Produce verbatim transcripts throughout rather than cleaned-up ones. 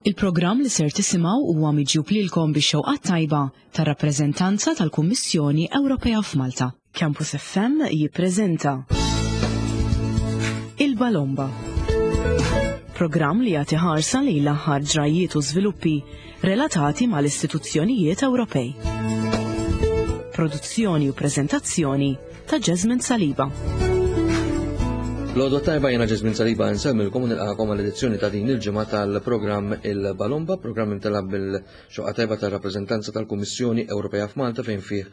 Il-programm li ser tisimgħu huwa miġjub lilkom bix-xewqa tajba tar-rappreżentanza tal-Kummissjoni Ewropea f'Malta. Campus F M jippreżenta Il-Balomba. Programm li jagħti ħarsa lejn l-aħħar ġrajiet u żviluppi relatati mal-istituzzjonijiet Ewropej. Produzzjoni u preżentazzjoni ta' Jasmine Saliba. L-għodwa t-tajba, jiena Jasmine Saliba, nsellmilkom u nilqagħkom għall-edizzjoni ta' din il-ġimgħa tal-programm Il-Balomba, programm imtella' bil-xewqa tajba tal-rappreżentanza tal-Kummissjoni Ewropea f'Malta, fejn fih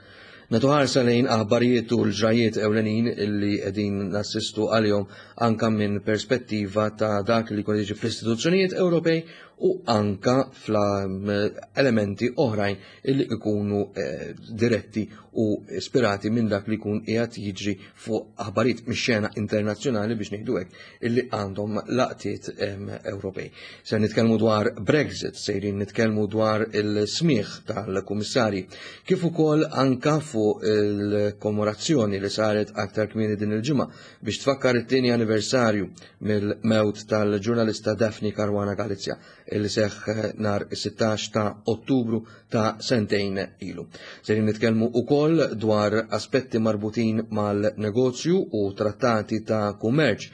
nagħtu ħarsa lejn aħbarijiet u l-ġrajiet ewlenin illi qegħdin nassistu għalihom anka minn perspettiva ta' dak li jkun jiġi fl-istituzzjonijiet Ewropej u anka fl-elementi oħrajn illi ikunu eh, diretti u ispirati minn dak li jkun qiegħed jiġri fuq aħbarijiet mix-xena internazzjonali, biex ngħidu hekk, illi għandhom laqtiet Ewropej. Se nitkellmu dwar Brexit, sejrin nitkellmu dwar il-smigħ tal-kummissarji, kif ukoll anka fuq il-kommemorazzjoni li saret aktar kmieni din il-ġimgħa biex tfakkar it-tieni anniversarju mill-mewt tal-ġurnalista Daphne Caruana Galizia, illi seħħ nhar is-sittax ta' Ottubru ta' sentejn ilu. Sejrin nitkellmu ukoll dwar aspetti marbutin mal-negozju u trattati ta' kummerċ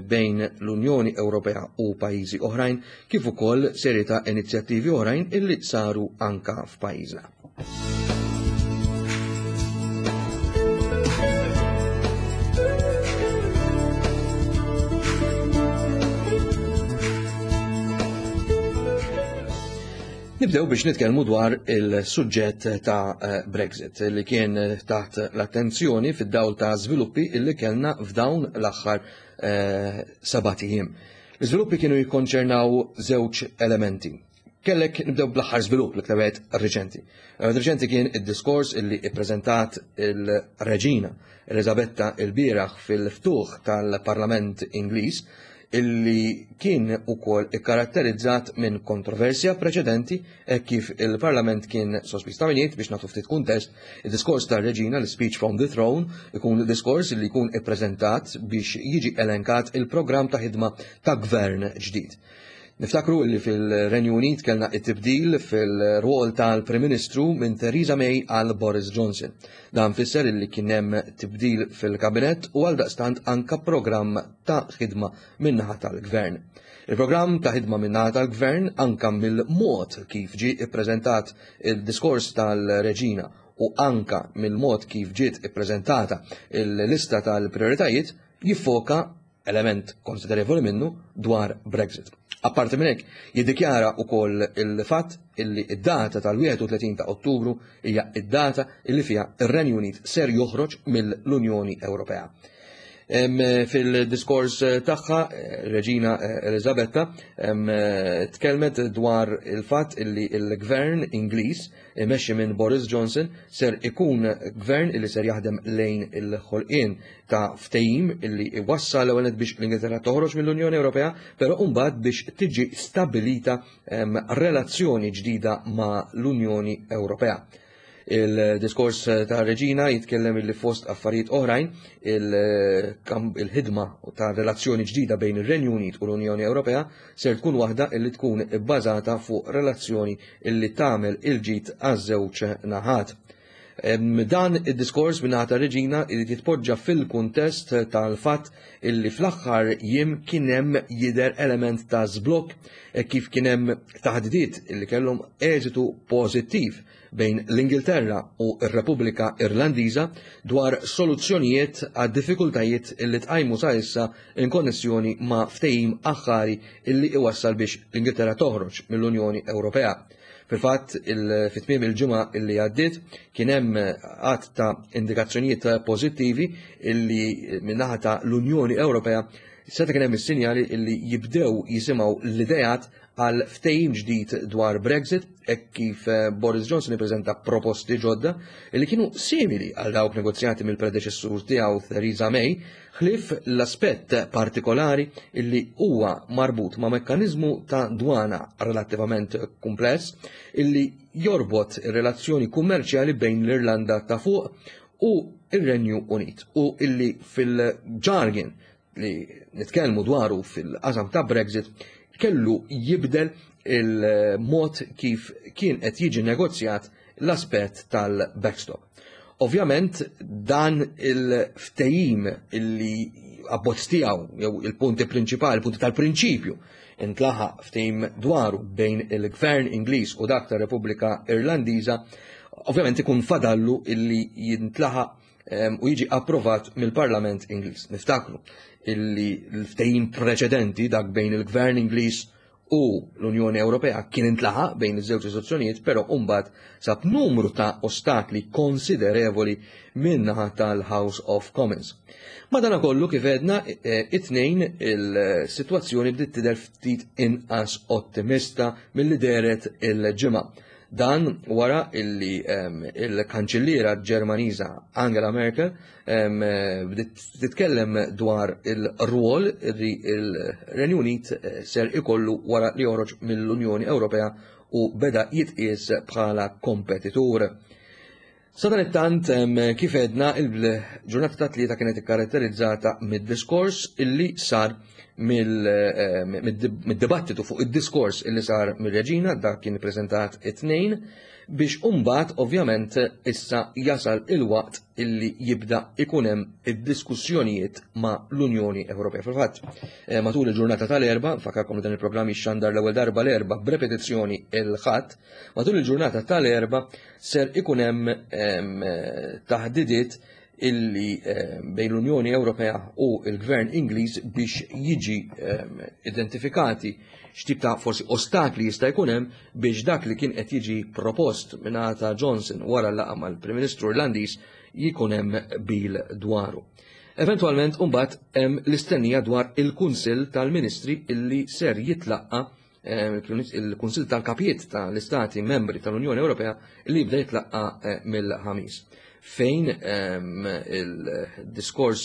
bejn l-Unjoni Ewropea u pajjiżi oħrajn, kif ukoll serje ta' inizjattivi oħrajn illi saru anka f'pajjiżna. Nibdew biex nitkellmu dwar il-suġġett ta' Brexit, li kien taħt l-attenzjoni fid-dawl ta' żviluppi illi kellna f'dawn l-aħħar eh, sebat ijiem. L-iżviluppi kienu jikkonċernaw żewġ elementi. Kellek nibdew bl-aħħar żvilupp, li wieħed reċenti. Reċenti kien id-diskors illi ippreżentat il-Reġina Elizabetta il-bieraħ fil-ftuħ tal-Parlament Ingliż, illi kien ukoll ikkaratterizzat minn kontroversja preċedenti e kif il-Parlament kien sospiż ta' biex nagħtu ftit kuntest, il-diskors tar-Reġina, l-Speech from the Throne, ikun diskors li jkun ippreżentat biex jiġi elenkat il-programm ta' ħidma ta' gvern ġdid. Niftakru li fil-Renju Unit kellna it-tibdil fil-rwol tal-Prim Ministru minn Theresa May għal Boris Johnson. Dan fisser li kien hemm tibdil fil-kabinett u għal daqstant anka programm ta' ħidma min-naħa tal-gvern. Il-programm ta' ħidma min-naħa tal-gvern, anka mill-mod kif ġi ippreżentat il-diskors tal-Reġina u anka mill-mod kif ġiet ippreżentata il-lista tal-prioritajiet, jiffoka element konsiderevoli minnu dwar Brexit. Apparti minn hekk, jiddikjara wkoll il-fatt illi id-data tal-wieħed u tletin ta' Ottubru hija id-data illi fiha ir-Renju Unit ser joħroġ mill-Unjoni Ewropea. Fil-diskors tagħha, Reġina Elizabetta tkellmet dwar il-fatt illi il-gvern Ingliż imexxi minn Boris Johnson ser ikun gvern illi ser jaħdem lejn il-ħolqien ta' ftehim illi iwassal l biex l-Ingilterra toħroġ mill-Unjoni Ewropea, però mbagħad biex tiġi stabilita relazzjoni ġdida ma' l-Unjoni Ewropea. Il-diskors ta' Reġina jitkellem illi fost affarijiet oħrajn il-ħidma ta' relazzjoni ġdida bejn ir-Renju Unit u l-Unjoni Ewropea ser tkun waħda illi tkun bbażata fuq relazzjoni illi tagħmel il-ġid għaż-żewġ naħat. Dan id-diskors minn ta' Reġina irid jitpoġġa fil-kuntest tal-fatt illi fl-aħħar jiem kien hemm jidher element ta' żblokk e kif kien hemm taħdidiet illi kellhom eżitu pożittiv bejn l-Ingilterra u r-Repubblika Irlandiża dwar soluzzjonijiet għad diffikultajiet illi tqajmu sa issa in konnessjoni ma' ftehim aħħari illi iwassal biex l-Ingilterra toħroġ mill-Unjoni Ewropea. Fil-fatt, fit-tmiem il-ġimgħa illi għaddiet kien hemm għadd ta' indikazzjonijiet pożittivi illi min-naħa ta' l-Unjoni Ewropea seta' kien hemm is-sinjali illi jibdew jisimgħu l-idejat għal ftehim ġdid dwar Brexit, hekk kif eh, Boris Johnson ippreżenta proposti ġodda li kienu simili għal dawk negozjati mill-predeċessur tiegħu Theresa May, ħlief l-aspett partikolari illi huwa marbut ma' mekkaniżmu ta' dwana relattivament kumpless illi jorbot ir-relazzjoni kummerċjali bejn l-Irlanda ta' fuq u ir-Renju Unit u illi fil-jargon li nitkellmu dwaru fil-qasam ta' Brexit kellu jibdel il-mod kif kien qed jiġi negozjat l-aspett tal-backstop. Ovvjament dan il-ftehim illi abbozz tiegħu jew il-punti prinċipali, il-punti tal-prinċipju intlaħaq ftehim dwaru bejn il-Gvern Ingliż u dak tar-Repubblika Irlandiża, ovvjament ikun fadallu illi jintlaħaq u jiġi approvat mill-Parlament Ingliż. Niftakru illi l-ftehim preċedenti dak bejn il-Gvern Ingliż u l-Unjoni Ewropea kien intlaħaq bejn iż-żewġ istituzzjonijiet, però mbagħad sab numru ta' ostakli konsiderevoli min-naħa tal-House of Commons. Madanakollu kif għedna it-tnejn il-sitwazzjoni bdiet tidher ftit inqas ottimista milli dehret il-ġimgħa. Dan wara illi il-kanċilliera Ġermaniża Angela Merkel bdiet titkellem dwar il-rwol li il-Renju Unit ser ikollu wara li joħroġ mill-Unjoni Ewropea u beda jitqies bħala kompetitur. Sadanittant, kif għedna, il-ġurnata ta' tlieta kienet ikkaratterizzata mid-diskors illi sar mid-dibattitu fuq id-diskors illi sar mir-reġina, dak kien ippreżentat it-tnejn, biex imbagħad ovvjament issa jasal il-waqt illi jibda ikun hemm id-diskussjonijiet ma' l-Unjoni Ewropea. Fil-fatt, matul il-ġurnata tal-Erbgħa, nfakkarkom li dan il-programm jixxandar l-ewwel darba l-Erbgħa b'repetizzjoni il-Ħadd, matul il-ġurnata tal-Erbgħa ser ikun hemm taħdidiet illi bejn l-Unjoni Ewropea u l-Gvern Ingliż biex jiġi identifikati x'tip ta' forsi ostakli jista' jkun hemm biex dak li kien qed jiġi propost mingħata Johnson wara l-laqgħa mal-Prim Ministru Irlandiż jkun hemm bil dwaru. Eventwalment imbagħad hemm l-istennija dwar il-Kunsill tal-Ministri illi ser jitlaqqa il-Kunsill tal-Kapijiet tal-Istati Membri tal-Unjoni Ewropea li jibda jitlaqqa mill-ħamis, fejn il-diskors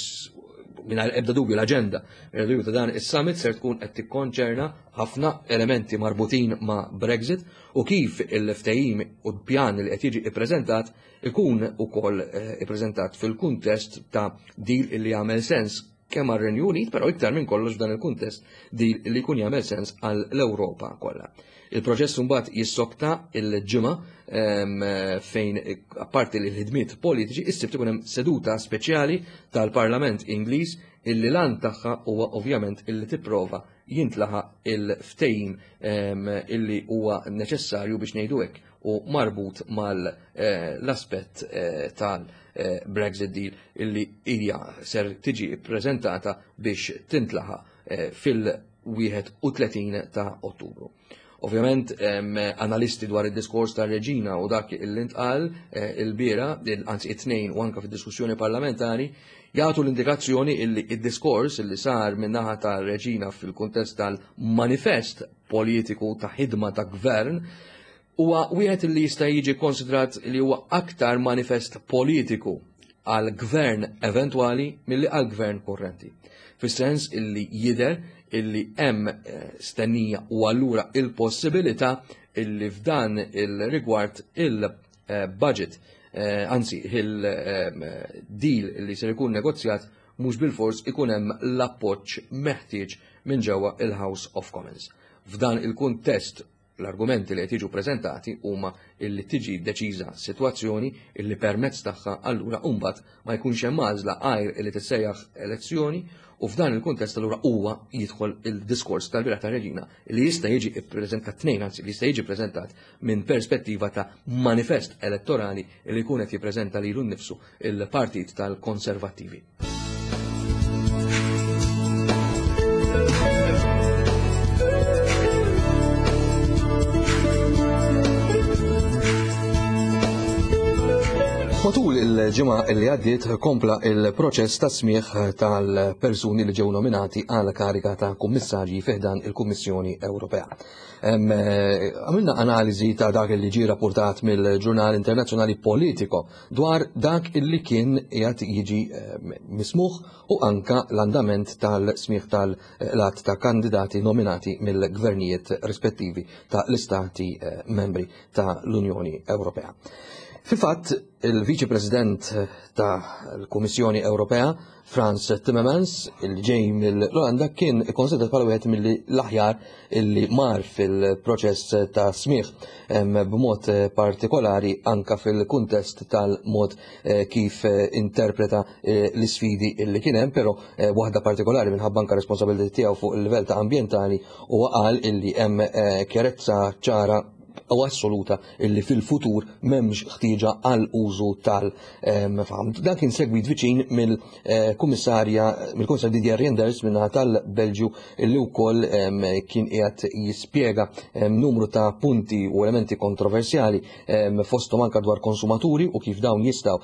mingħajr ebda dubju l-aġenda mingħajr dubju ta' dan is-summit ser tkun qed tikkonċerna ħafna elementi marbutin ma' Brexit u kif il-ftehim u l-pjan li qed jiġi ippreżentat ikun ukoll ippreżentat fil-kuntest ta' deal li jagħmel sens kemm għar-Renju Unit, però iktar minn kollox f'dan il-kuntest deal li jkun jagħmel sens għall-Ewropa kollha. Il-proċess mbagħad jissokta il-ġimgħa fejn apparti l-ħidmiet politiċi issib ikun hemm seduta speċjali tal-Parlament Ingliż illi lan tagħha huwa ovvjament illi tipprova jintlaħaq il-ftehim illi huwa neċessarju biex ngħidu hekk u marbut mal-aspett tal-Brexit deal illi hija ser tiġi ppreżentata biex tintlaħaq fil-wieħed u tletin ta' Ottubru. Ovvjament, analisti dwar id-diskors tar-reġina u dak illi ntqal il-biera, anzi it-tnejn u anka fid-diskussjoni parlamentari, jagħtu l-indikazzjoni illi id-diskors illi sar min-naħa tar-reġina fil-kuntest tal-manifest politiku ta' ħidma ta' gvern huwa wieħed li jista' jiġi konsidrat li huwa aktar manifest politiku għal gvern eventwali milli għal gvern kurrenti. Fis-sens illi jidher illi hemm stennija u allura il-possibilità illi f'dan il-rigward il-budget, anzi il-deal illi ser ikun negozjat mhux bilfors ikun hemm l-appoġġ meħtieġ minn ġewwa il-House of Commons. F'dan il-kuntest l-argumenti li qed jiġu preżentati huma illi tiġi deċiża sitwazzjoni illi permezz tagħha allura mbagħad ma jkunx hemm għażla għajr illi tissejjaħ elezzjoni u f'dan il-kuntest allura huwa jidħol il-diskors tal-bieraħ tar-reġina li jista' jiġi ppreżentat tnejn, anzi li jista' jiġi ppreżentat minn perspettiva ta' manifest elettorali li jkun qed jippreżenta lilu nnifsu il-Partit tal-Konservattivi. Matul il-ġimgħa li għaddiet kompla il-proċess ta' smigħ tal-persuni li ġew nominati għal kariga ta' kummissarji fiħdan il-Kummissjoni Ewropea. Għamilna analiżi ta' dak li ġie rapportat mill-ġurnal internazzjonali Politico dwar dak illi kien qiegħed jiġi mismuħ u anka l-andament tal-smigħ tal-att ta' kandidati nominati mill-gvernijiet rispettivi ta' l-istati membri ta' l-Unjoni Ewropea. Fil-fatt, il-Viċi President tal-Kummissjoni Ewropea, Frans Timmermans, il ġej mill-Olanda, kien ikkonsidrat bħala wieħed mill-aħjar illi mar fil-proċess ta' smigħ, b'mod partikolari anka fil-kuntest tal-mod eh, kif eh, interpreta eh, l-isfidi illi kien hemm, però waħda partikolari minħabba anka responsabilità tiegħu fuq il-livell ta' ambjentali, u qal illi hemm kjarezza ċara u assoluta illi fil-futur m'hemmx ħtieġa għal użu tal-faħam. Dan kien segwit viċin mill-kummissarja, mill-Kummissarju Didier Reynders minna tal-Belġju, illi wkoll kien qiegħed jispjega numru ta' punti u elementi kontroversjali, fosthom anka dwar konsumaturi u kif dawn jistgħu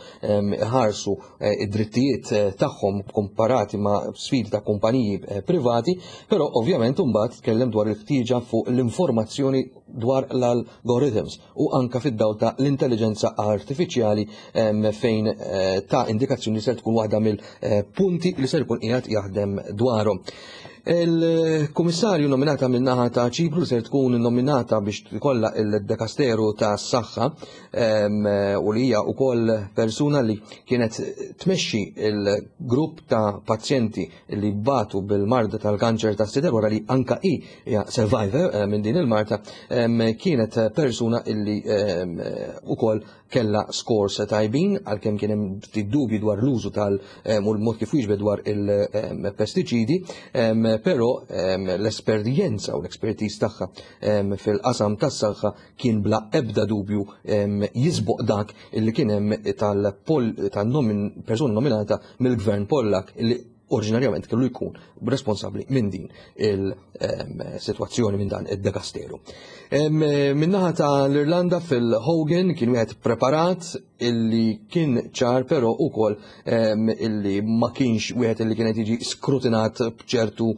ħarsu eh, id-drittijiet eh, tagħhom komparati ma' sfidi ta' kumpaniji eh, privati, però ovvjament imbagħad tkellem dwar il-ħtieġa fuq l-informazzjoni dwar l-algorithms u anka fid-dawl ta' l-intelligenza artifiċjali, fejn eh, ta' indikazzjoni ser tkun waħda mill-punti li ser ikun qiegħed jaħdem dwarhom. Il-kummissarju nominata min-naħa ta' Ċipru ser tkun nominata biex tkollha il-dekasteru ta' s-saħħa u li hija wkoll persuna li kienet tmexxi il-grupp ta' pazjenti li batu bil-marda tal-kanċer ta' sider wara li anka hi hija survivor eh, minn din il-marda, kienet persuna illi ukoll kella scores tajbin, għalkemm kien hemm ftit dubji dwar l-użu tal u l-mod kif wieġbet dwar il-pestiċidi, però l-esperjenza u l-expertise tagħha fil-qasam tas-saħħa kien bla ebda dubju jisboq dak illi kien hemm tal-persuna nominata mill-gvern Pollak, illi oriġinarjament kellu jkun responsabbli minn din il-sitwazzjoni, minn dan id-dekasteru. Min-naħa ta' l-Irlanda, Phil Hogan kien wieħed preparat illi kien ċar, però ukoll illi ma kienx wieħed illi kienet jiġi skrutinat b'ċertu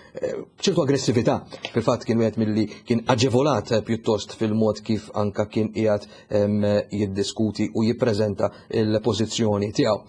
b'ċertu aggressività. Fil-fatt kien wieħed milli kien aġevolat pjuttost fil-mod kif anka kien qiegħed jiddiskuti u jippreżenta il-pożizzjoni tiegħu.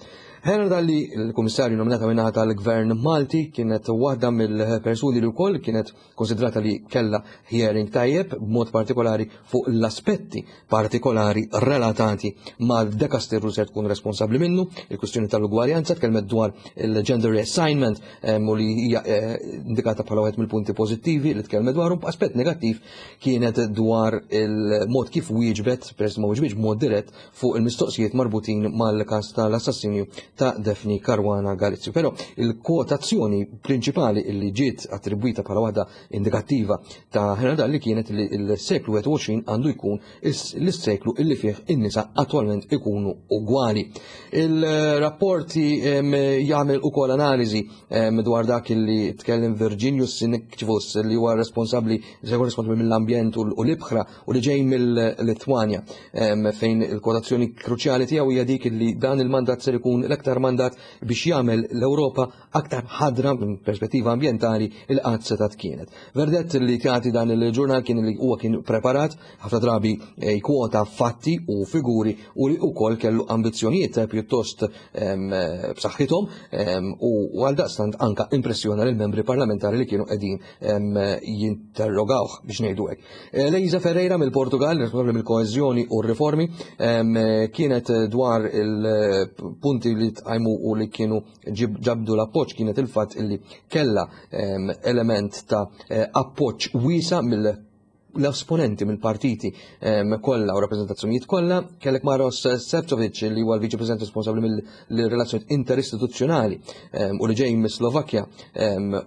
Helena Dalli, il-Kummissarju nominata minnaħa tal-Gvern Malti, kienet waħda mill-persuni li wkoll kienet konsidrata li kella hearing tajjeb, b'mod partikolari fuq l-aspetti partikolari relatati mal-dekasteru se tkun responsabbli minnu, il-kwistjoni tal-ugwaljanza, tkellmet dwar il-gender reassignment u li hija eh, indikata bħala wieħed mill-punti pożittivi li tkellmet dwarhom. Aspett negattiv kienet dwar il-mod kif wieġbet, peress ma wieġbitx b'mod dirett fuq il-mistoqsijiet marbutin mal-każ tal-assassinju ta' Daphne Caruana Galizia. Però il-kwotazzjoni prinċipali li ġiet attribwita bħala waħda indikattiva ta' Helena Dalli kienet li l-seklu wieħed u għoxrin għandu jkun l-seklu illi fih in-nisa attwalment ikunu ugwali. Il-rapporti jagħmel ukoll analiżi dwar dak li tkellem Virginius Sinkevicius, li huwa responsabbli, se jkun responsabbli mill-ambjent u l-ibħra u li ġej mill-Litwanja, fejn il-kwotazzjoni kruċjali tiegħu hija dik li dan il-mandat ser ikun l-aktar mandat biex jagħmel l-Ewropa aktar ħadra minn perspettiva ambjentali il qatt setat kienet. Verdett li tagħti dan il-ġurnal kien li huwa kien preparat, ħafna drabi eh, jkwota fatti u figuri, u li wkoll kellu ambizzjonijiet pjuttost b'saħħithom u għal daqstant anka impressjona lill membri parlamentari li kienu qegħdin jinterrogawh, biex ngħidu hekk. Eh, Elisa Ferreira mill-Portugal, responsabbli mill-koeżjoni u r-riformi, kienet dwar il-punti li tqajmu u li kienu ġabdu l-appoġġ kienet il-fatt illi kella element ta' eh, appoġġ wiesa' mill l-esponenti mill-partiti kollha u rappreżentazzjonijiet kollha. Kellek Maros Sefcovic, li huwa l-Viċi President responsabbli mill-relazzjonijiet interistituzzjonali u li ġej mis-Slovakkja,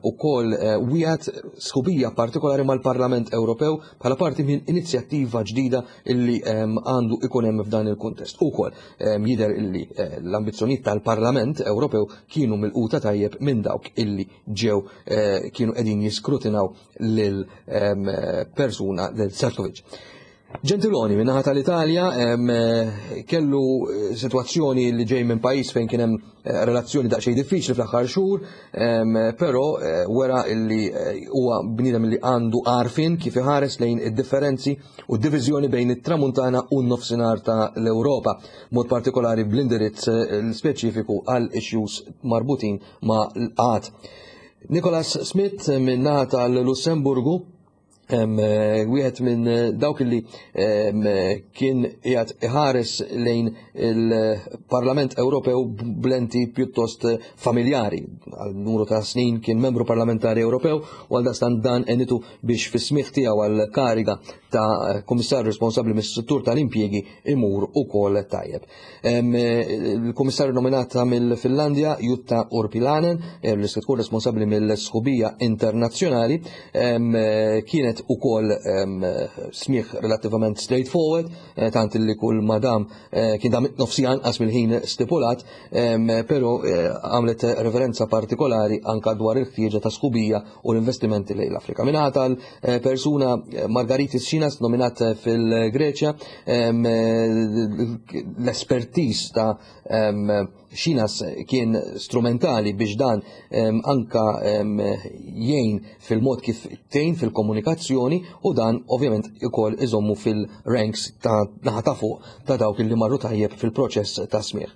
ukoll eh, wieħed sħubija partikolari mal-Parlament Ewropew bħala parti minn inizjattiva ġdida illi għandu ikun hemm f'dan il-kuntest. Ukoll jidher illi eh, l-ambizzjonijiet tal-Parlament Ewropew kienu milquta tajjeb minn dawk illi ġew eh, kienu qegħdin jiskrutinaw lil persuna del Sefcovic. Gentiloni, minnaħa tal-Italja, kellu eh, situazzjoni li ġej minn pajjiż fejn kien hemm eh, relazzjoni daqsxejn diffiċli fl-aħħar xhur, però eh, wera illi huwa bniedem li għandu għarfien kif iħares lejn id-differenzi u d-diviżjoni bejn it-tramuntana u n-nofsinhar ta' l-Ewropa, mod partikolari bl-indirizz speċifiku għal issues marbutin ma' l-qgħad. Nicolas Schmit, minnaħa tal-Lussemburgu, Wieħed minn dawk li kien qiegħed iħares lejn il-Parlament Ewropew b'lenti pjuttost familjari. Għal numru ta' snin kien membru parlamentari Ewropew u għal dastan dan enitu biex fis-smigħ tiegħu għal kariga ta' kummissarju responsabbli mis-settur tal-impjiegi imur ukoll tajjeb. Il-kummissarju nominata mill-Finlandja Jutta Urpilainen, li se tkun responsabbli mill-sħubija internazzjonali, kienet ukoll smigħ relattivament straightforward, tant li kull madam kien dam nofsi anqas mill-ħin stipulat, però għamlet referenza partikolari anka dwar il-ħtieġa ta' sħubija u l-investimenti lejn l-Afrika. Minħa tal-persuna Margaritis Schinas nominat fil-Greċja, l-espertiż ta' Schinas kien strumentali biex dan anka jgħin fil-mod kif tgħin fil-komunikazzjoni u dan ovvjament ukoll iżommu fil-ranks ta' naħa ta' fuq ta' dawk li marru tajjeb fil-proċess ta' smigħ.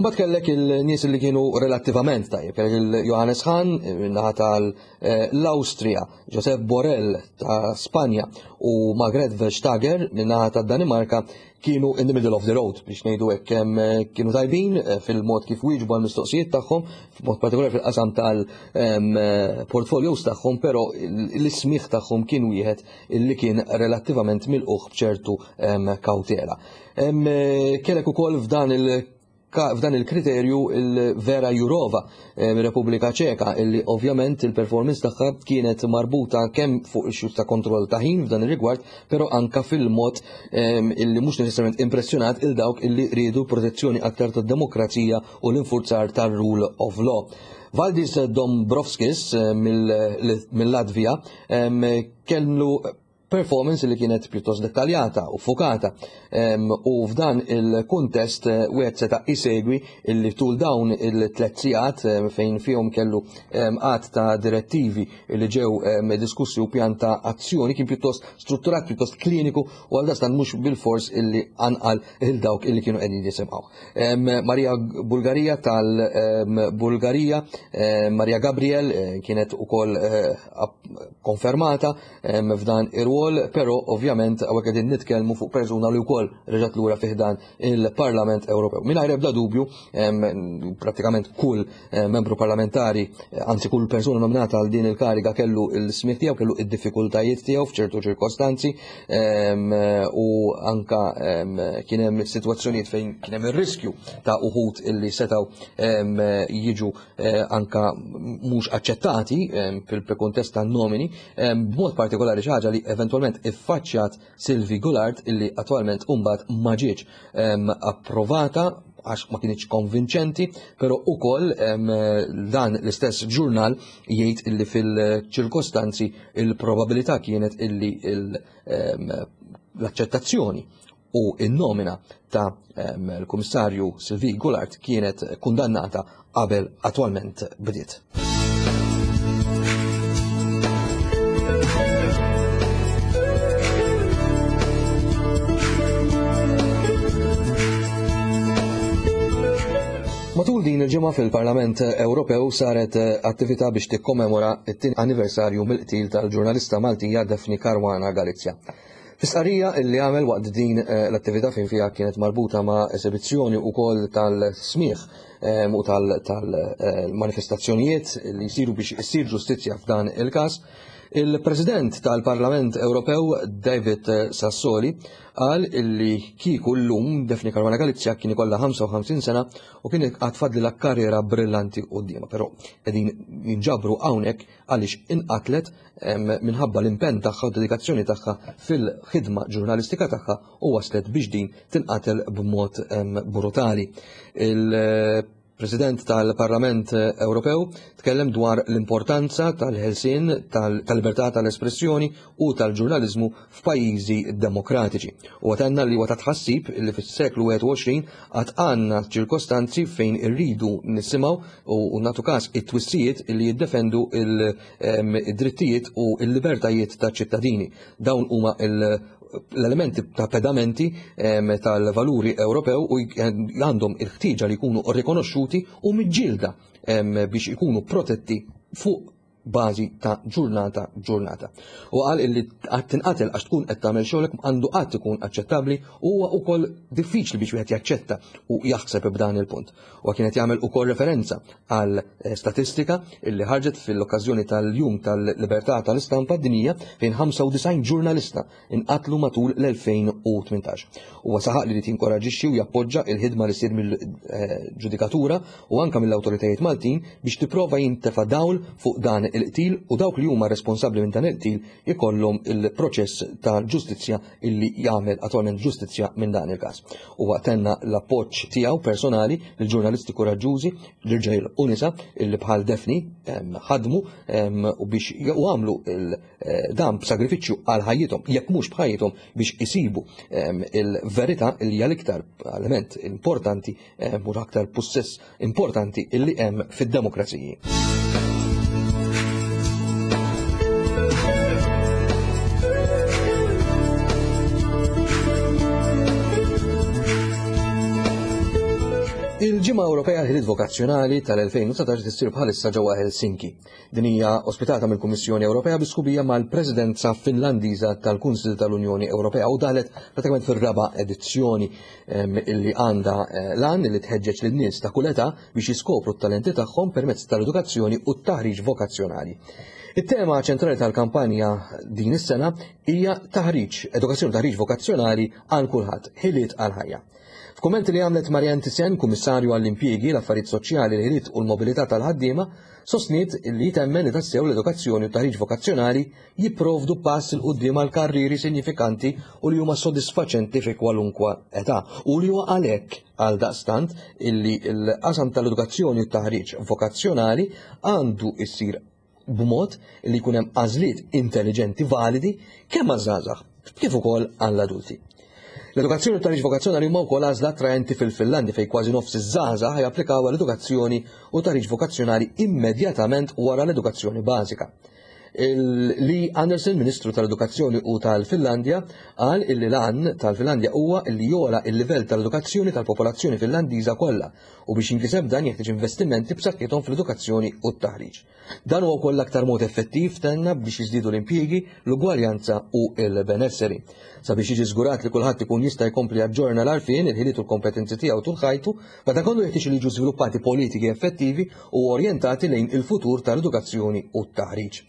Mbagħad kellek il-nies li kienu relattivament tajjeb, kellek il-Johannes Hahn naħa tal-Awstrija, Josep Borrell ta' Spanja u Margrethe Vestager min-naħa tad-Danimarka kienu in the middle of the road biex ngħidu hekk, kienu tajbin fil-mod kif wieġbu għall-mistoqsijiet tagħhom, f'mod partikolari fil-qasam tal-portfolios tagħhom, però l-ismigħ tagħhom kien wieħed li kien relattivament milquh b'ċertu kawtela. Kellek ukoll f'dan il- f'dan il-kriterju il-Vera Jurova mir-Repubblika Ċeka, illi ovvjament il-performance tagħha kienet marbuta kemm fuq issues ta' kontroll ta' ħin f'dan ir-rigward, però anka fil-mod illi mhux neċessarjament impressjonat il dawk illi riedu protezzjoni aktar tad-demokrazija u l-infurzar tar-rule of law. Valdis Dombrovskis mill-Latvija kellu performance li kienet pjuttost dettaljata u fokata, u f'dan il-kuntest wieħed seta' isegwi illi tul dawn il-tliet sigħat fejn fihom kellu għadd ta' direttivi li ġew diskussi u pjan ta' azzjoni kien pjuttost strutturat, pjuttost kliniku u għal dastan mhux bil-fors illi anqal il dawk illi kienu qegħdin jisimgħu. Maria Bulgarija tal-Bulgarija, Maria Gabriel kienet ukoll konfermata f'dan ir-rwol, però ovvjament hawnhekk qegħdin nitkellmu fuq persuna li wkoll reġgħet lura fih dan il-Parlament Ewropew. Mingħajr ebda dubju, pratikament kull membru parlamentari, anzi kull persuna nominata għal din il-kariga kellu il-smigħ tiegħu, kellu id-diffikultajiet tiegħu f'ċertu ċirkostanzi, u anka kien hemm sitwazzjonijiet fejn kien hemm ir-riskju ta' uħud illi setgħu jiġu anka mhux aċċettati fil-kuntest tan-nomini, b'mod partikolari xi ħaġa li eventwalment iffaċċjat Sylvie Goulard illi attwalment imbagħad ma ġietx approvata għax ma kienx konvinċenti, però ukoll dan l-istess ġurnal jgħid illi fil-ċirkostanzi il-probabilità kienet illi l-aċċettazzjoni u n-nomina ta' l-Kummissarju Sylvie Goulard kienet kundannata qabel attwalment bdiet. Matul din il-ġimgħa fil-Parlament Ewropew saret attività biex tikkommemora t-tieni anniversarju mill-qtil tal-ġurnalista Maltija Daphne Caruana Galizia. Fis-stqarrija illi għamel waqt din l-attività fejn fiha kienet marbuta ma' esibizzjoni wkoll tal-smigħ u tal-manifestazzjonijiet li jsiru biex issir ġustizzja f'dan il-każ, il-President tal-Parlament Ewropew David Sassoli qal illi kieku llum Daphne Caruana Galizia kien ikollha ħamsa u ħamsin sena u kien għad fadlilha karriera brillanti quddiemha, però qegħdin jinġabru hawnhekk għaliex inqatlet minħabba l-impenn tagħha u dedikazzjoni tagħha fil-ħidma ġurnalistika tagħha u waslet biex din tinqatel b'mod brutali. Il-President tal-Parlament Ewropew tkellem dwar l-importanza tal-ħelsien tal-libertà tal-espressjoni u tal-ġurnaliżmu f'pajjiżi demokratiċi. U għatenna li huwa ta' tħassib li fis-seklu wieħed u għoxrin għad għandna ċirkostanzi fejn irridu nisimgħu u nagħtu każ it-twissijiet li jiddefendu il-drittijiet u l-libertajiet taċ-ċittadini. Dawn huma l-elementi ta' pedamenti tal-valuri Ewropew u għandhom il-ħtieġa li jkunu rikonoxxuti u miġġielda biex ikunu protetti fuq bażi ta' ġurnata ġurnata. U qal illi qatt tinqatel għax tkun qed tagħmel xogħlek għandu qatt ikun aċċettabbli u huwa wkoll diffiċli biex wieħed jaċċetta u jaħseb b'dan il-punt. U kienet jagħmel ukoll referenza għal statistika illi ħarġet fil-okkażjoni tal-Jum tal-Libertà tal-Istampa Dinjija fejn ħamsa u disgħin ġurnalista inqatlu matul l-elfejn u tmintax. Huwa saħaq li jinkoraġixxi u jappoġġa il-ħidma li ssir mill-ġudikatura u anke mill-awtoritajiet Maltin biex tipprova jintefa' dawl fuq dan il-qtil u dawk li huma responsabbli minn dan il-qtil ikollhom il-proċess ta' ġustizzja illi jagħmel attwalment ġustizzja minn dan il-każ. Huwa tenna l-appoġġ tiegħu personali lill-ġurnalisti kuraġġużi, l-irġiel u nisa illi bħal Daphne ħadmu u biex u għamlu dan b'sagrifiċċju għal ħajjithom, jekk mhux b'ħajjithom, biex isibu il-verità li hija l-iktar element importanti u l-aktar pussess importanti illi hemm fid-demokraziji. Il-Ġimgħa Ewropea għall-Ħiliet Vokazzjonali tal-elfejn u dsatax tissir bħalissa ġewwa Helsinki. Din hija ospitata mill-Kummissjoni Ewropea bi sħubija mal-Presidenza Finlandiża tal-Kunsill tal-Unjoni Ewropea u daħlet pratikament fir-raba' edizzjoni illi għandha l-għan li tħeġġeġ lin-nies ta' kull età biex jiskopru t-talenti tagħhom permezz tal-edukazzjoni u t-taħriġ vokazzjonali. It-tema ċentrali tal-kampanja din is-sena hija taħriġ, edukazzjoni u taħriġ vokazzjonali għal kulħadd, ħiliet għal ħajja. F'kummenti li għamlet Marianne Thyssen, Kummissarju għall-Impjiegi, l-Affarijiet Soċjali, l-Ħiliet u l-Mobilità tal-Ħaddiema, sostniet li temmen li tassew l-edukazzjoni u taħriġ vokazzjonali jipprovdu pass il quddiem għal karrieri sinifikanti u li huma sodisfaċenti fi kwalunkwe età u li huwa għalhekk għal daqstant illi l-qasam tal-edukazzjoni u taħriġ vokazzjonali għandu jsir b'mod li jkun hemm għażliet intelligenti validi kemm għaż-żgħażagħ kif ukoll għall-adulti. L-edukazzjoni u taħriġ vokazzjonali huma wkoll għażla attraenti fil-Finlandja fejn kważi nofs iż-żgħażagħ japplikaw għall-edukazzjoni u taħriġ vokazzjonali immedjatament wara l-edukazzjoni bażika. Li Andersson, Ministru tal-Edukazzjoni u tal-Finlandja, qal illi l-għan tal-Finlandja huwa illi jola il-livell tal-edukazzjoni tal-popolazzjoni Finlandiża kollha u biex jinkiseb dan jeħtieġ investimenti b'saħħithom fl-edukazzjoni u t-taħriġ. Dan huwa wkoll l-aktar mod effettiv tenna biex jiżdiedu l-impjiegi, l-ugwaljanza u l-benesseri. Sabiex jiġi żgurat li kulħadd ikun jista' jkompli jaġġorna l-għarfien, il-ħiliet u l-kompetenzi tiegħu tul ħajtu, madankollu jeħtieġ li jiġu żviluppati politiki effettivi u orjentati lejn il-futur tal-edukazzjoni u t-taħriġ.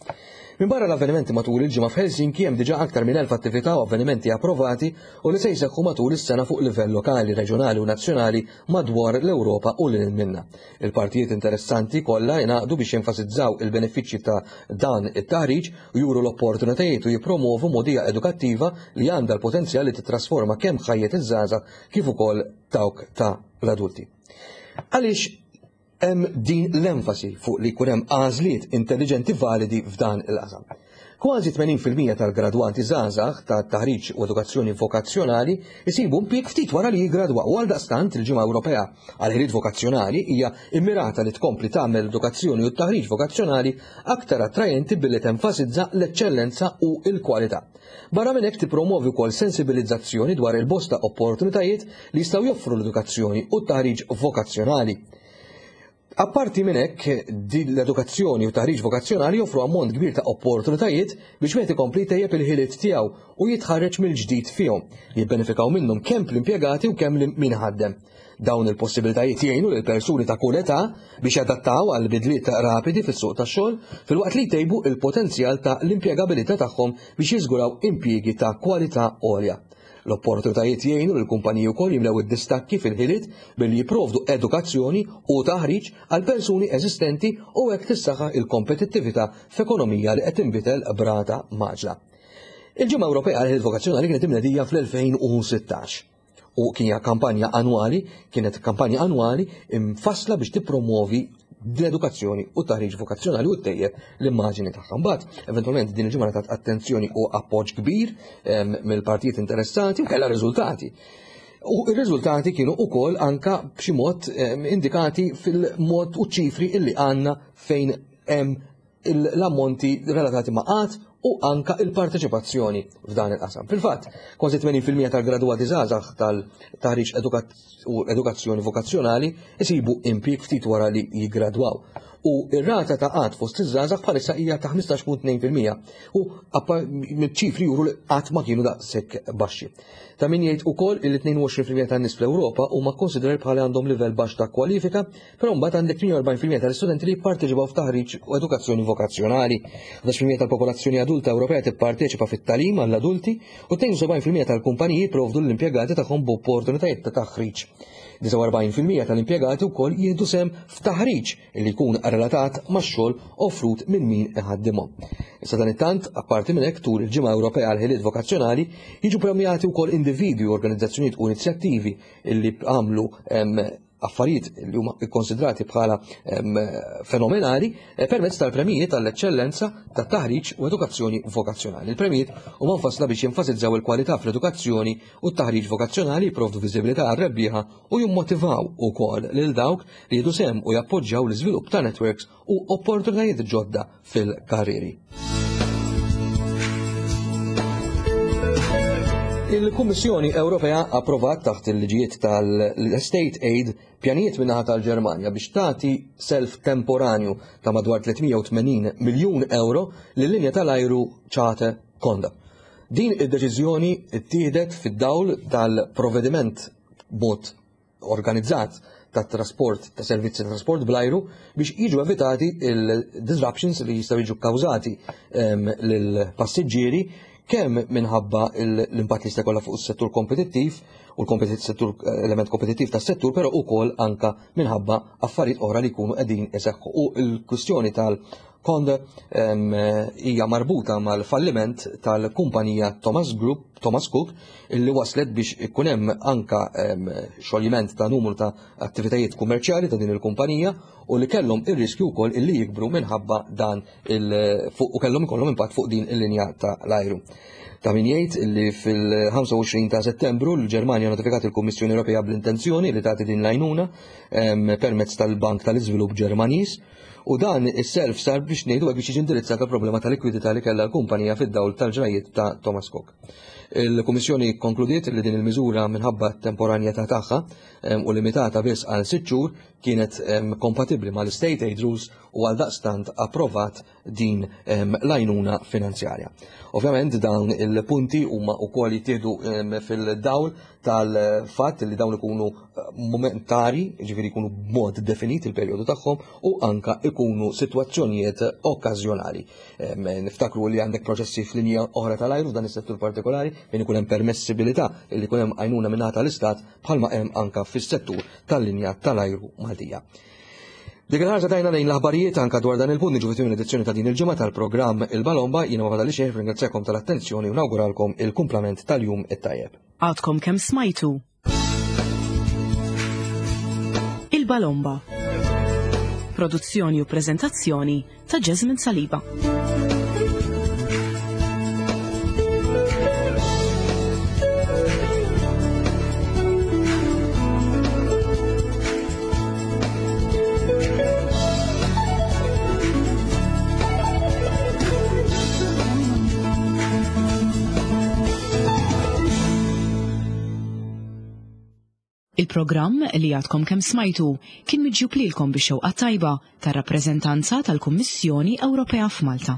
Minbarra l-avvenimenti matul il-ġimgħa f'Helsinki hemm diġà aktar minn elf attività u avvenimenti approvati u li se jseħħu matul is-sena fuq livell lokali, reġjonali u nazzjonali madwar l-Ewropa u lil minna. Il-partijiet interessanti kollha jingħaqdu biex jenfasizzaw il-benefiċċji ta' dan it-taħriġ u juru l-opportunitajiet u jippromovu mogħdija edukattiva li għandha l-potenzjal li titrasforma kemm ħajjet iż-żgħażagħ kif ukoll dawk ta' l-adulti. Għaliex hemm din l-enfasi fuq li jkun hemm għażliet intelligenti validi f'dan il-qasam. Kważi tmenin fil-mija tal-gradwanti żgħażagħ ta' taħriġ u edukazzjoni vokazzjonali jsibu impjieg ftit wara li jiggradwaw u għaldaqstant il-Ġimgħa Ewropea għal ħiliet vokazzjonali hija immirata li tkompli tagħmel l-edukazzjoni u t-taħriġ vokazzjonali aktar attrajenti billi tenfasizza l-eċċellenza u l-kwalità. Barra minn hekk tippromovi wkoll sensibilizzazzjoni dwar il-bosta opportunitajiet li jistgħu joffru l-edukazzjoni u t-taħriġ vokazzjonali. Apparti minn hekk, din l-edukazzjoni u taħriġ vokazzjonali joffru ammont kbir ta' opportunitajiet biex wieħed ikompli jtejjeb il-ħiliet tiegħu u jitħarreġ mill-ġdid fihom, jibbenefikaw minnhom kemm l-impjegati u kemm min ħaddem. Dawn il-possibilitajiet jgħinu lil persuni ta' kull età biex jadattaw għal bidliet rapidi fis-suq tax-xogħol filwaqt li jtejbu il-potenzjal ta' l-impjegabilità tagħhom biex jiżguraw impjiegi ta' kwalità għolja. L-opportunitajiet jgħinu lil kumpaniji wkoll jimlew id-distakki fil-ħiliet billi jipprovdu edukazzjoni u taħriġ għal persuni eżistenti u hekk tissaħħaħ il-kompetittività f'ekonomija li qed tinbidel b'rata maġla. Il-Ġimgħa Ewropea għal ħiliet vokazzjonali kienet imnedija fl-elfejn u sittax u kien kampanja annwali, kienet kampanja annwali imfassla biex tippromovi l-edukazzjoni u taħriġ vokazzjonali u ttejjeb l-immaġini tagħha. Mbagħad, eventwalment din il-ġimgħa tat attenzjoni u appoġġ kbir, ehm, mill-partijiet interessati u kellha riżultati. U r-riżultati kienu wkoll anka b'xi mod, ehm, indikati fil-mod u ċifri illi għandna fejn hemm l-ammonti relatati ma' qatt u anka il-parteċipazzjoni f'dan il-qasam. Fil-fatt, kważi tmenin fil-mija tal-gradwati żgħażagħ tal-taħriġ edukat-, u edukazzjoni vokazzjonali isibu impjieg ftit wara li jiggradwaw. U ir-rata ta' qgħad fost iż-żgħażagħ bħalissa hija ta' ħmistax punt tnejn fil-mija u ċifri juru li qatt ma kienu daqshekk baxxi. Ta' min jgħid ukoll il tnejn u għoxrin fil-mija tan-nies fl-Ewropa huma konsiderati bħala għandhom livell baxx ta' kwalifika, però mbagħad għandek tmienja u erbgħin fil-mija tal-istudenti li jipparteċipaw f'taħriġ u edukazzjoni vokazzjonali. ħdax fil-mija tal-popolazzjoni adulta Ewropea tipparteċipa fit-tagħlim għall-adulti u tnejn u sebgħin fil-mija tal-kumpaniji jipprovdu l-impjegati tagħhom b'opportunitajiet ta' taħriġ. disgħa u erbgħin fil-mija tal-impjegati wkoll jieħdu sehem f'taħriġ li jkun relatat max-xogħol offrut minn min iħaddimhom. Issa dan it-tant, apparti minn hekk, tul il-Ġimgħa Ewropea għal ħiliet vokazzjonali jiġu premjati wkoll individwi, organizzazzjonijiet u inizjattivi li għamlu affarijiet li huma ikkonsidrati bħala fenomenali eh, permezz tal-premijiet tal-eċċellenza tat-taħriġ u edukazzjoni vokazzjonali. Il-premijiet huma mfassla biex jenfasizzaw il-kwalità fl-edukazzjoni u t-taħriġ vokazzjonali, jipprovdu viżibilità għar-rebbieħa u jimmotivaw ukoll lil dawk li jieħdu sehem u jappoġġjaw l-iżvilupp ta' networks u opportunitajiet ġodda fil-karrieri. Il-Kummissjoni Ewropea approvat taħt il-liġijiet tal-State Aid pjanijiet min-naħa tal-Ġermanja biex tagħti self temporanju ta' madwar tliet mija u tmenin miljun euro lil-linja tal-ajru Charter Condor. Din id-deċiżjoni ttieħdet fid-dawl tal-provvediment b'mod organizzat ta' trasport, ta' servizzi ta' trasport bl-ajru biex jiġu evitati il-disruptions li jistgħu jiġu kkawżati lill-passiġġieri, kemm minħabba l-impatt li jista' jkollha fuq is-settur kompetittiv u l-settur element kompetittiv tas-settur, però wkoll anka minħabba affarijiet oħra li jkunu qegħdin iseħħu. U l-kwistjoni tal-Condor hija marbuta mal-falliment tal-kumpanija Thomas Group, Thomas Cook, illi waslet biex ikun hemm anka xoljiment ta' numru ta' attivitajiet kummerċjali ta' din il-kumpanija u li kellhom ir-riskju wkoll illi jikbru minħabba dan il u kellhom ikollhom impatt fuq din il-linja ta' l-ajru. Ta' min jgħid li fil-ħamsa u għoxrin ta' Settembru l-Ġermanja notifikat il-Kummissjoni Ewropea bl-intenzjoni li tagħti din l-għajnuna permezz tal-Bank tal-Iżvilupp Ġermaniż, u dan is-self sar biex ngħidu biex jiġi indirizzata problema ta' likwidità li kellha l-kumpanija fid-dawl tal-ġrajiet ta' Thomas Cook. Il-Kummissjoni konkludiet li din il-miżura, minħabba temporanjetà tagħha u limitata biss għal sitt xhur, kienet kompatibbli mal-State Aid Rules u għal daqstant approvat din l-għajnuna finanzjarja. Ovvjament dawn il-punti huma wkoll jittieħdu fil-dawl tal-fatt li dawn ikunu eh, momentari, ġifieri jkunu b'mod definit il-perjodu tagħhom u anka ikunu sitwazzjonijiet okkażjonali. Niftakru li għandek proċessi f'linja oħra tal-ajru f'dan is-settur partikolari fejn ikun hemm permessibilità li jkun hemm għajnuna minn tal-istat, bħalma hemm anka fis-settur tal-linja tal-ajru Maltija. Dik il-ħarsa tajna lejn l-aħbarijiet. Anka dwar dan il-punt niġu fit edizzjoni ta' din il-ġimgħa tal-programm Il-Balomba. Jiena ma fadalli xejn, ringrazzjakom tal-attenzjoni u nawguralkom il-kumplament tal-jum it-tajjeb. Għadkom kemm smajtu Il-Balomba. Produzzjoni u prezentazzjoni ta' Jasmine Saliba. Il-programm li għadkom kemm smajtu kien miġjub lilkom bix-xewqa tajba tar-rappreżentanza tal-Kummissjoni Ewropea f'Malta.